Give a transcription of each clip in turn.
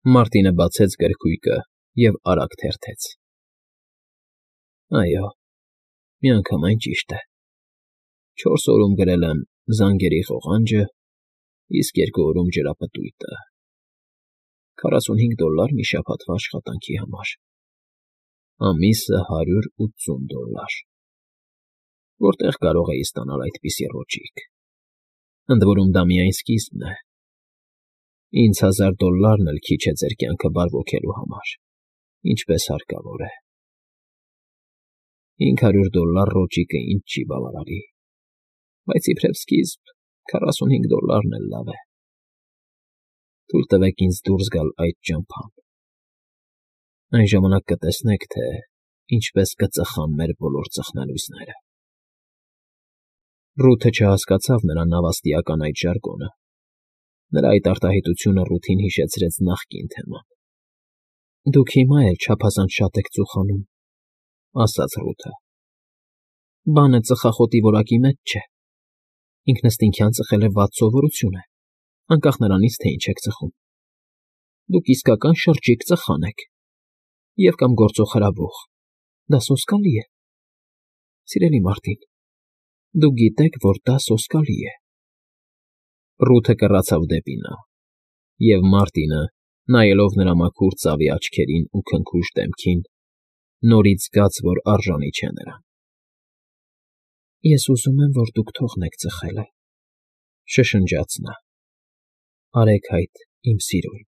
Մարտինը բացեց գրքույկը և արագ թերթեց. Այո, միանգամայն ճիշտ է. 4 օրում գրել եմ զանգերի ղողանջը, իսկ 2 օրում ջրապտույտը, $45 մի շաբաթվա աշխատանքի համար, ամիսը $180. Որտեղ կարող էի ստանալ այդպիսի ռոճիկ, ընդ որում դա միայն սկիզբն է, ինձ $1000 էլ քիչ է ձեր կյանքը բարվոքելու համար, ինչպես հարկավոր է, $500 ռոճիկը ինձ չի բավարարի, բայց իբրև սկիզբ $45 էլ լավ է, թույլ տվեք ինձ դուրս գալ այդ ճամփան, այն ժամանակ կտեսնեք, թե ինչպես կծխան մեր բոլոր ծխնելույսները։ Ռութը չհասկացավ նրա նավաստիական այդ ժարգոնը, նրա այդ արտահայտությունը Ռութին հիշեցրեց նախկին թեման։ Դուք հիմա էլ չափազանց շատ եք ծուխանում, ասաց Ռութը։ Բանը ծխախոտի որակի մեջ չէ, ինքնըստինքյան ծխել է վատ սովորություն է, անկախ նրանից, թե ինչ եք ծխում։ Դուք իսկական շրջիկ ծխան եք, և կամ գործոխրաբող, դա սոսկալի է։ Սիրելի Մարտին, դուք գիտեք, որ դա սոսկալի է։ Ռութը կռացավ դեպի նա, և Մարտինը, նայելով նրա մաքուր ծավի աչքերին ու քնքուշ դեմքին, նորից զգաց, որ արժանի չէ նրան։ Ես ուզում եմ, որ դուք թողնեք ծխելը, շշնջաց նա։ Արեք այդ, իմ սիրուն։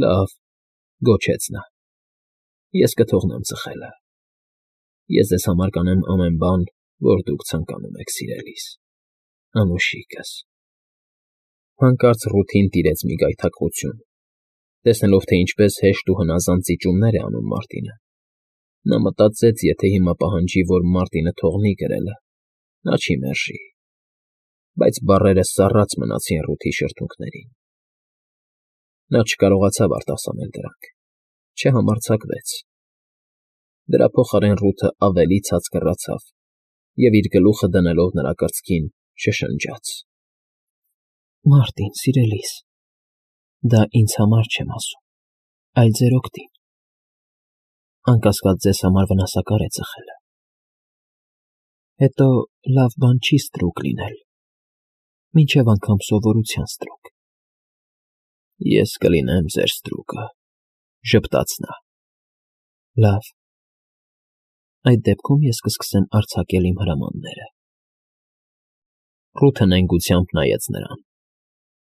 Լավ, գոչեց նա, ես կթողնեմ ծխելը։ Ես ձեզ համար կանեմ ամեն բան, որ դուք ցանկանում եք, սիրելիս, անուշիկս։ Հանկարծ Ռութին տիրեց մի գայթակղություն, տեսնելով, թե ինչպես հեշտ ու հնազանդ զիջումներ է անում Մարտինը։ Նա մտածեց, եթե հիմա պահանջի, որ Մարտինը թողնի գրելը, նա չի մերժի, բայց բառերը սառած մնացին Ռութի շրթունքներին։ Նա չկարողացավ արտասանել դրանք, չհամարձակվեց։ Դրա փոխարեն Ռութը ավելի ցած կռացավ և իր գլուխը դնելով նրա կրծքին շշնջաց. Մարտին, սիրելիս, դա ինձ համար չեմ ասում, այլ ձեր օգտին։ Անկասկած ձեզ համար վնասակար է ծխելը։ Հետո լավ բան չի ստրուկ լինել, մինչև անգամ սովորության ստրուկ։ Ես կլինեմ ձեր ստրուկը, ժպտաց նա։ Լավ, այդ դեպքում ես կսկսեմ արձակել իմ հրամանները։ Ռութը նենգությամբ նայեց նրան,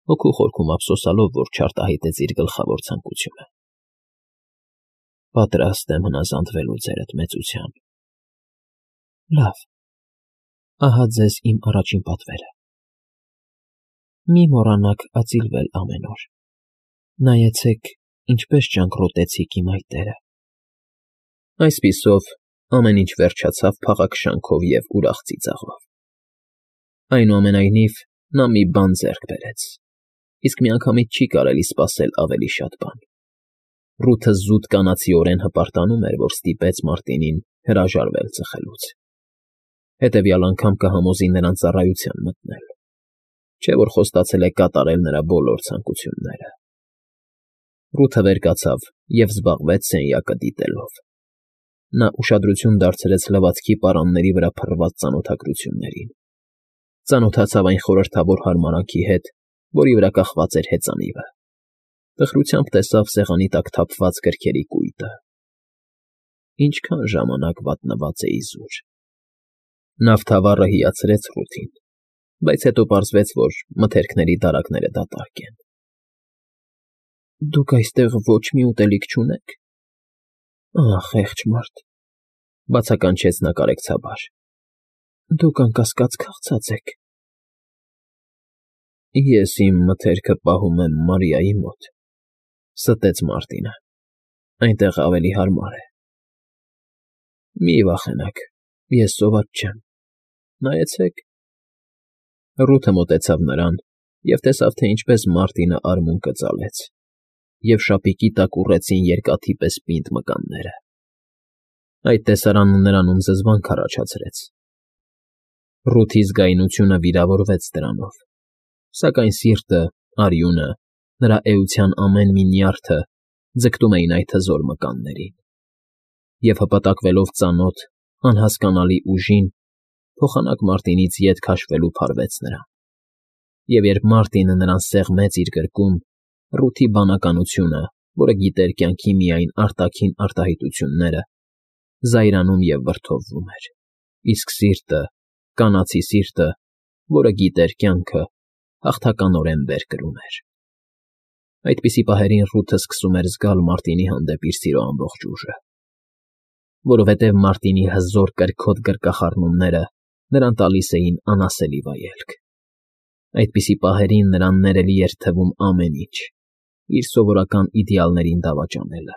հոգու խորքում ափսոսալով, որ չարտահայտեց իր գլխավոր ցանկությունը։ Պատրաստ եմ հնազանդվելու ձերդ մեծության։ Լավ, ահա ձեզ իմ առաջին պատվերը։ Մի մոռանաք ածիլվել ամեն օր։ Նայեցեք, ինչպես ճանկռոտեցիք իմ այտերը։ Այսպիսով ամեն ինչ վերջացավ փաղաքշանքով և ուրախ ծիծաղով։ Այնուամենայնիվ, նա մի բան ձեռք բերեց, իսկ միանգամից չի կարելի սպասել ավելի շատ բան։ Ռութը զուտ կանացիորեն հպարտանում էր, որ ստիպեց Մարտինին հրաժարվել ծխելուց։ Հետևյալ անգամ կհամոզի նրան ծառայության մտնել, չէ՞ որ խոստացել է կատարել նրա բոլոր ցանկությունները։ Ռութը վեր կացավ և զբաղվեց սենյակը դիտելով։ Նա ուշադրություն դարձրեց լվացքի պարանների վրա փռված ծանոթագրություններին։ Ծանոթացավ այն խորհրդավոր հարմարանքի հետ, որի վրա կախված էր հեծանիվը։ Տխրությամբ տեսավ սեղանի տակ թափված գրքերի կույտը։ Ինչքան ժամանակ վատնված է իզուր։ Նավթավառը հիացրեց Ռութին, բայց հետո պարզվեց, որ մթերքների դարակները դատարկ են։ Դուք այստեղ ոչ մի ուտելիք չունեք։ Ահ, խեղճ մարդ, բացականչեց նա կարեկցաբար։ Դուք անկասկած քաղցած եք։ Ես իմ մթերքը պահում եմ Մարիայի մոտ, ստեց Մարտինը, այնտեղ ավելի հարմար է։ Մի վախենաք, ես սոված չեմ, նայեցեք։ Ռութը մոտեցավ նրան և տեսավ, թե ինչպես Մարտինը արմունկը ծալեց, և շապիկի տակ ուռեցին երկաթի պես պինդ մկանները։ Այդ տեսարանն նրանում զզվանք առաջացրեց։ Ռութի զգայունությունը վիրավորվեց դրանով, սակայն սիրտը, արյունը Նրա էության ամեն մի նյարդը ձգտում էին այդ հզոր մկաններին, և հպատակվելով ծանոթ, անհասկանալի ուժին, փոխանակ Մարտինից ետ քաշվելու փարվեց նրան։ Եվ երբ Մարտինը նրան սեղմեց իր գրկում, Ռութի բանականությունը, որը գիտեր կյանքի միայն արտաքին արտահայտությունները, զայրանում և վրդովվում էր, իսկ սիրտը, կանացի սիրտը, որը գիտեր կյանքը, հաղթականորեն վեր կրում էր։ Այդպիսի պահերին Ռութը սկսում էր զգալ Մարտինի հանդեպ իր սիրո ամբողջ ուժը, որովհետև Մարտինի հզոր կրքոտ գրկախառնումները նրան տալիս էին անասելի վայելք։ Այդպիսի պահերին նրան ներելի էր թվում ամեն ինչ, իր սովորական իդեալներին դավաճանելը,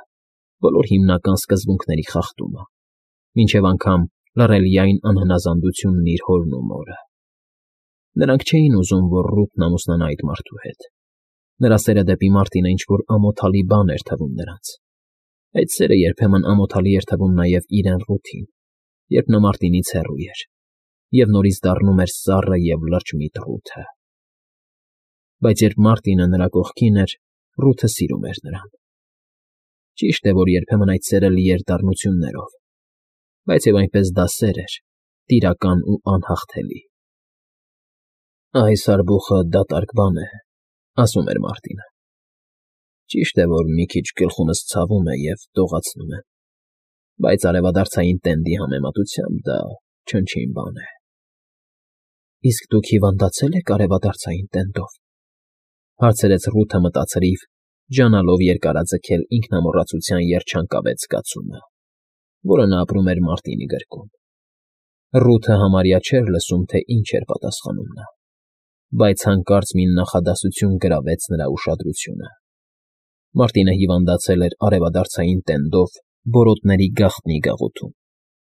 բոլոր հիմնական սկզբունքների խախտումը, մինչև անգամ լռելիային անհնազանդությունն իր հորն ու մորը։ Նրանք չէին ուզում, որ Ռութն ամուսնանա այդ մարդու հետ։ Նրա սերը դեպի Մարտինը ինչ-որ ամոթալի բան էր թվում նրանց։ Այդ սերը երբեմն ամոթալի էր թվում նաև իրեն Ռութին, երբ նա Մարտինից հեռու էր, և նորից դառնում էր սառը և լրջմիտ Ռութը։ Բայց երբ Մարտինը նրա կողքին էր, Ռութը սիրում էր նրան։ Ճիշտ է, որ երբեմն այդ սերը լի էր դառնություններով, բայց և այնպես դա սեր էր, տիրական ու անհաղթելի։ «Այս արբուխը դատարկ բան է», ասում էր Մարտինը։ «Ճիշտ է, որ մի քիչ գլխումս ցավում է և դողացնում եմ, բայց արևադարձային տենդի համեմատությամբ դա չնչին բան է»։ «Իսկ դուք հիվանդացե՞լ եք արևադարձային տենդով», հարցրեց Ռութը մտածրիվ, ջանալով երկարաձգել ինքնամոռացության երջանկավետ զգացումը, որը նա ապրում էր Մարտինի գրկում։ Ռութը համարյա չէր լսում, թե ինչ էր պատասխանում նա, բայց հանկարծ մի նախադասություն գրավեց նրա ուշադրությունը։ Մարտինը հիվանդացել էր արևադարձային տենդով բորոտների գաղտնի գաղութում,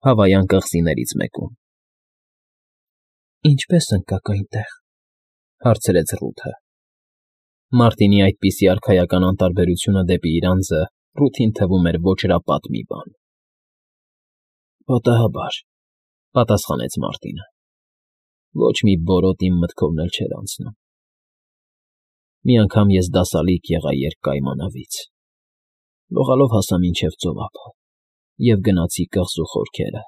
Հավայան կղզիներից մեկում։ «Ինչպե՞ս ընկաք այնտեղ», հարցրեց Ռութը։ Մարտինի այդպիսի արքայական անտարբերությունը դեպի իր անձը Ռութին թվում էր ոճրապատ մի բան։ «Պատահաբար», պատասխանեց Մարտինը։ «Ոչ մի բորոտ իմ մտքովն էլ չէր անցնում։ Մի անգամ ես դասալիկ եղա երկկայմանավից, լողալով հասա մինչև ծովափը և գնացի կղզու խորքերը,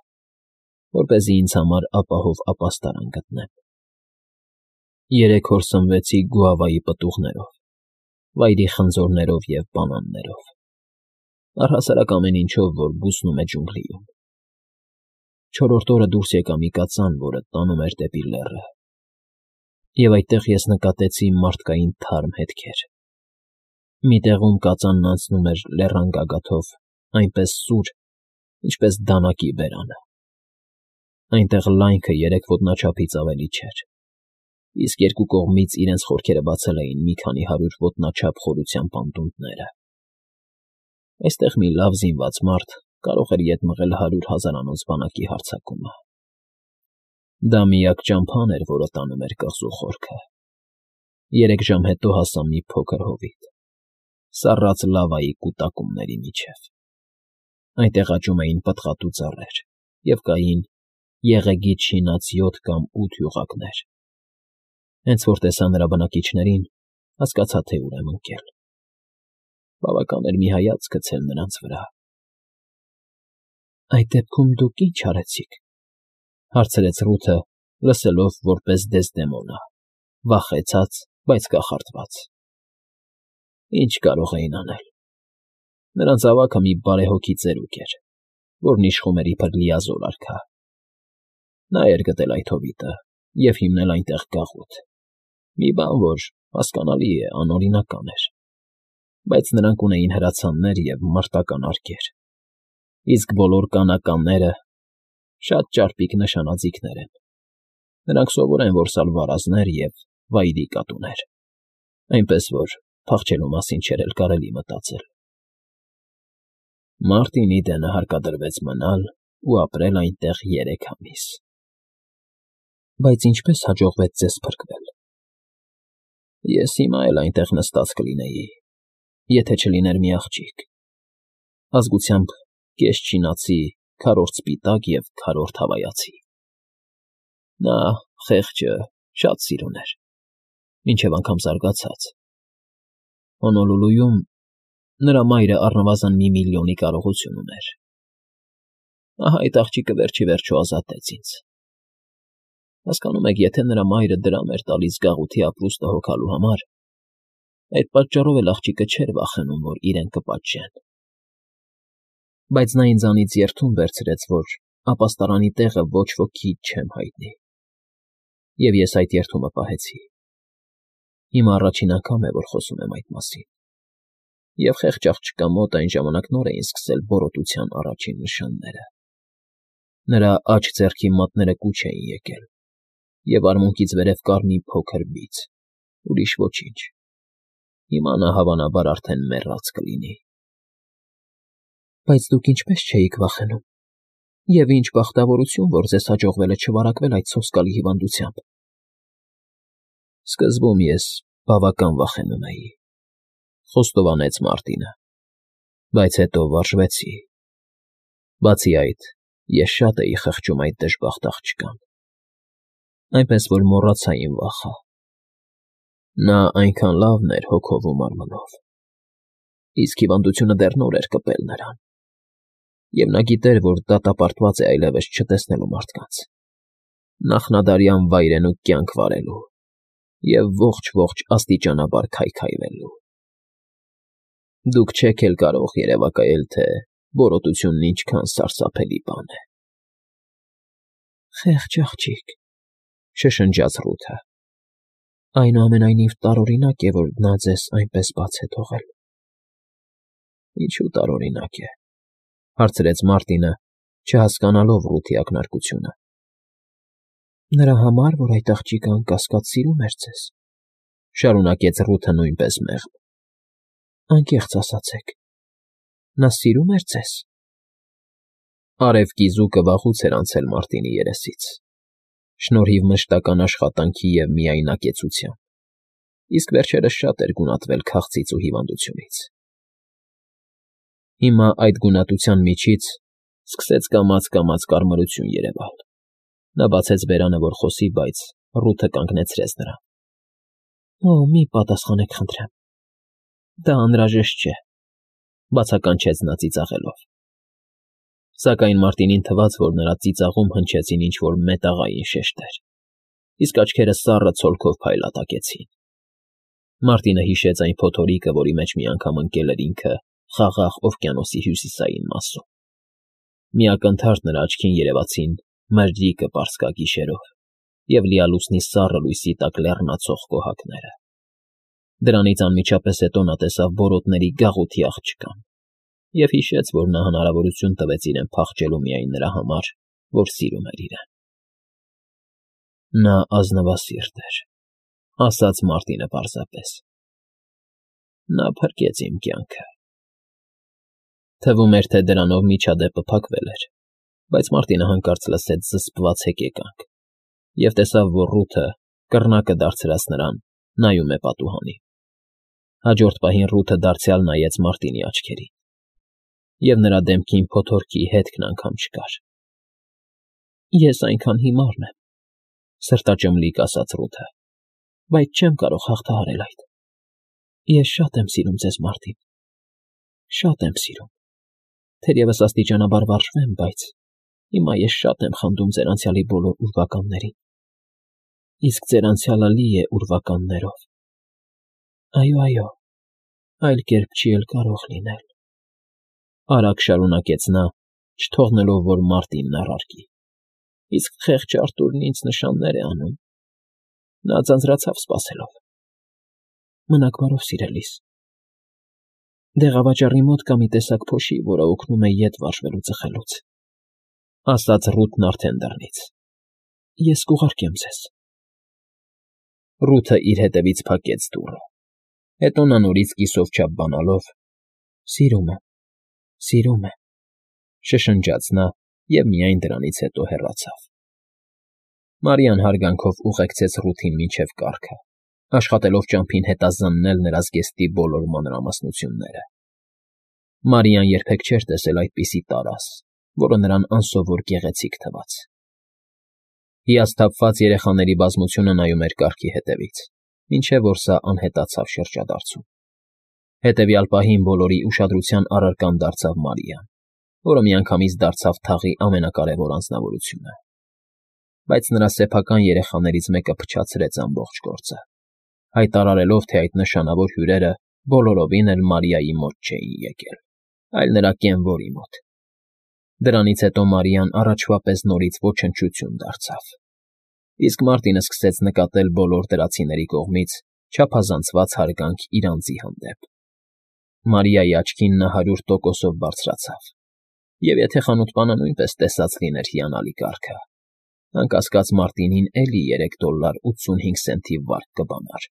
որպեսզի ինձ համար ապահով ապաստարան գտնեմ։ 3 օր սնվեցի գուավայի պտուղներով, վայրի խնձորներով և բանաններով, առհասարակ ամեն ինչով, որ բուսնում է ջունգլիում։ 4-րդ օրը դուրս եկա մի կածան, որը տանում էր դեպի լեռը, և այդտեղ ես նկատեցի մարդկային թարմ հետքեր։ Մի տեղում կածանն անցնում էր լեռան գագաթով այնպես սուր, ինչպես դանակի բերանը։ Այնտեղ լայնքը 3 ոտնաչափից ավելի չէր, իսկ երկու կողմից իրենց խորքերը բացել էին մի քանի 100 ոտնաչափ խորությամբ անդունդները։ Այստեղ մի լավ զինված մարդ կարող էր ետ մղել 100 հազարանոց բանակի հարձակումը։ Դա միակ ճամփան էր, որը տանում էր կղզու խորքը։ 3 ժամ հետո հասա մի փոքր հովիտ, սառած լավայի կուտակումների միջև։ Այնտեղ աճում էին պտղատու ծառեր և կային եղեգից շինած 7 կամ 8 յուղակներ։ Հենց որ տեսա նրա բնակիչներին, հասկացա, թե ուր եմ ընկել։ Բավական էր մի հայացք գցել նրանց վրա։ «Այդ դեպքում դուք ի՞նչ արեցիք», հարցրեց Ռութը, լսելով որպես Դեսդեմոնա, վախեցած, բայց կախարդված։ «Ինչ կարող էին անել։ Նրանց ավագը մի բարեհոգի ծերուկ էր, որն իշխում էր իբր լիազոր արքա։ Նա էր գտել այդ հովիտը և հիմնել այնտեղ գաղութ, մի բան, որ, հասկանալի է, անօրինական էր, բայց նրանք ունեին հրացաններ և մարտական արկեր, իսկ բոլոր կանականները շատ ճարպիկ նշանաձիգներ են։ Նրանք սովոր են որսալ վարազներ և վայրի կատուներ, այնպես որ փախչելու մասին չէր էլ կարելի մտածել։ Մարտինի դենը հարկադրվեց մնալ ու ապրել այնտեղ 3 ամիս»։ «Բայց ինչպե՞ս հաջողվեց ձեզ փրկվել»։ «Ես հիմա էլ այնտեղ նստած կլինեի, եթե չլիներ մի աղջիկ, ազգությամբ կես չինացի, քառորդ սպիտակ և քառորդ հավայացի։ Նա, խեղճը, շատ սիրուն էր, մինչև անգամ զարգացած։ Հոնոլուլուում նրա մայրը առնվազն 1,000,000-ի կարողություն ուներ։ Ահա այդ աղջիկը վերջի վերջո ազատեց ինձ։ Հասկանում եք, եթե նրա մայրը դրամ էր տալիս գաղութի ապրուստը հոգալու համար, այդ պատճառով էլ աղջիկը չէր վախենում, որ իրեն կպատժեն։ Բայց նա ինձանից երդում վերցրեց, որ ապաստարանի տեղը ոչ ոքի չեմ հայտնի։ Եվ ես այդ երդումը պահեցի։ Հիմա առաջին անգամ է, որ խոսում եմ այդ մասին։ Եվ խեղճ աղջկա մոտ այն ժամանակ նոր էին սկսել բորոտության առաջին նշանները։ Նրա աջ ձեռքի մատները կուչ էին եկել, և արմունկից վերև կար մի փոքր բիծ, ուրիշ ոչինչ։ Հիմա նա հավանաբար արդեն մեռած կլինի։ Բայց դուք ինչպես չէիք վախենում։ Եվ ինչ բախտավորություն, որ ձեզ հաջողվել է չվարակվել այդ սոսկալի հիվանդությամբ։ Սկզբում ես բավական վախենում էի, խոստովանեց Մարտինը, բայց հետո վարժվեցի։ Բացի այդ, ես շատ էի խղճում այդ դժբախտ աղջկան, այնպես որ մոռացա իմ վախը։ Նա այնքան լավն էր հոգով ու մարմնով, իսկ հիվանդությունը դեռ նոր էր կպել նրան, և նա գիտեր, որ դատապարտված է այլևս չտեսնելու մարդկանց, նախնադարյան վայրենու կյանք վարելու և ողջ աստիճանաբար քայքայվելու։ Դուք չեք էլ կարող երևակայել, թե բորոտությունն ինչքան սարսափելի բան է։ Խեղճ աղջիկ, շշնջաց Ռութը։ Այնուամենայնիվ տարօրինակ է, որ նա ձեզ այնպես բաց է թողել։ Ինչու տարօրինակ է, հարցրեց Մարտինը, չհասկանալով Ռութի ակնարկությունը։ Նրա համար, որ այդ աղջիկը անկասկած սիրում էր ձեզ, շարունակեց Ռութը նույնպես մեղմ։ Անկեղծ ասացեք, նա սիրում էր ձեզ։ Արևկի զուգը վաղուց էր անցել Մարտինի երեսից, շնորհիվ մշտական աշխատանքի և միայնակեցության, իսկ վերջերս շատ էր գունատվել քաղցից ու հիվանդությունից։ Հիմա այդ գունատության միջից սկսեց կամաց-կամաց կարմրություն երևալ։ Նա բացեց բերանը, որ խոսի, բայց Ռութը կանգնեցրեց նրան։ Օ, մի պատասխանեք, խնդրեմ։ Դա անհրաժեշտ չէ, բացականչեց նա ծիծաղելով։ Սակայն Մարտինին թվաց, որ նրա ծիծաղում հնչեցին ինչ-որ մետաղային շեշտեր, իսկ աչքերը սառը ցոլքով փայլատակեցին։ Մարտինը հիշեց այն փոթորիկը, որի մեջ մի անգամ ընկել էր ինքը Խաղաղ օվկիանոսի հյուսիսային մասում։ Մի ակնթարթ նրա աչքին երևացին մրրիկը պարսկագիշերով և լիալուսնի սառը լույսի տակ լեռնացող կոհակները։ Դրանից անմիջապես հետո նա տեսավ բորոտների գաղութի աղջկան և հիշեց, որ նա հնարավորություն տվեց իրեն փախչելու միայն նրա համար, որ սիրում էր իրեն։ Նա ազնվասիրտ էր, ասաց Մարտինը պարզապես։ Նա փրկեց իմ կյանքը։ Թվում էր, թե դրանով միջադեպը փակվել էր, բայց Մարտինը հանկարծ լսեց զսպված հեկեկանք և տեսավ, որ Ռութը, կռնակը դարձրած նրան, նայում է պատուհանին։ Հաջորդ պահին Ռութը դարձյալ նայեց Մարտինի աչքերին, և նրա դեմքին փոթորկի հետքն անգամ չկար։ Ես այնքան հիմարն եմ, սրտաճմլիկ ասաց Ռութը, բայց չեմ կարող հաղթահարել այդ։ Ես շատ եմ սիրում ձեզ, Մարտին, շատ եմ սիրում, թերևս աստիճանաբար վարժվեմ, բայց հիմա ես շատ եմ խնդում ձեր անցյալի բոլոր ուրվականներին, իսկ ձեր անցյալը լի է ուրվականներով։ Այո, այլ կերպ չի էլ կարող լինել, արագ շարունակեց նա, չթողնելով, որ Մարտինն առարկի, իսկ խեղճ Արտուրն ինձ նշաններ է անում։ Նա ձանձրացավ սպասելով։ Մնաք բարով, սիրելիս։ Դեղավաճառի մոտ կա մի տեսակ փոշի, որը օգնում է ետ վարժվելու ծխելուց, ասաց Ռութն արդեն դռնից։ Ես կուղարկեմ ձեզ։ Ռութը իր հետևից փակեց դուռը, հետո նա նորից կիսով չափ բանալով. Սիրում եմ, շշնջաց նա և միայն դրանից հետո հեռացավ։ Մարիան հարգանքով ուղեկցեց Ռութին մինչև կառքը, աշխատելով ճամփին հետազննել նրա զգեստի բոլոր մանրամասնությունները։ Մարիան երբեք չէր տեսել այդպիսի տարազ, որը նրան անսովոր գեղեցիկ թվաց։ Հիասթափված երեխաների բազմությունը նայում էր կառքի հետևից, մինչև որ սա անհետացավ շրջադարձում։ Հետևյալ պահին բոլորի ուշադրության առարկան դարձավ Մարիան, որը միանգամից դարձավ թաղի ամենակարևոր անձնավորությունը։ Բայց նրա սեփական երեխաներից մեկը փչացրեց ամբողջ գործը, հայտարարելով, թե այդ նշանավոր հյուրերը բոլորովին էլ Մարիայի մոտ չէին եկել, այլ նրա կենվորի մոտ։ Դրանից հետո Մարիան առաջվա պես նորից ոչնչություն դարձավ, իսկ Մարտինը սկսեց նկատել բոլոր դրացիների կողմից չափազանցված հարգանք իր անձի հանդեպ։ Մարիայի աչքին նա 100%-ով բարձրացավ, և եթե խանութպանը նույնպես տեսած լիներ հիանալի կարգը, անկասկած Մարտինին էլի $3.85 վարկ կբանար։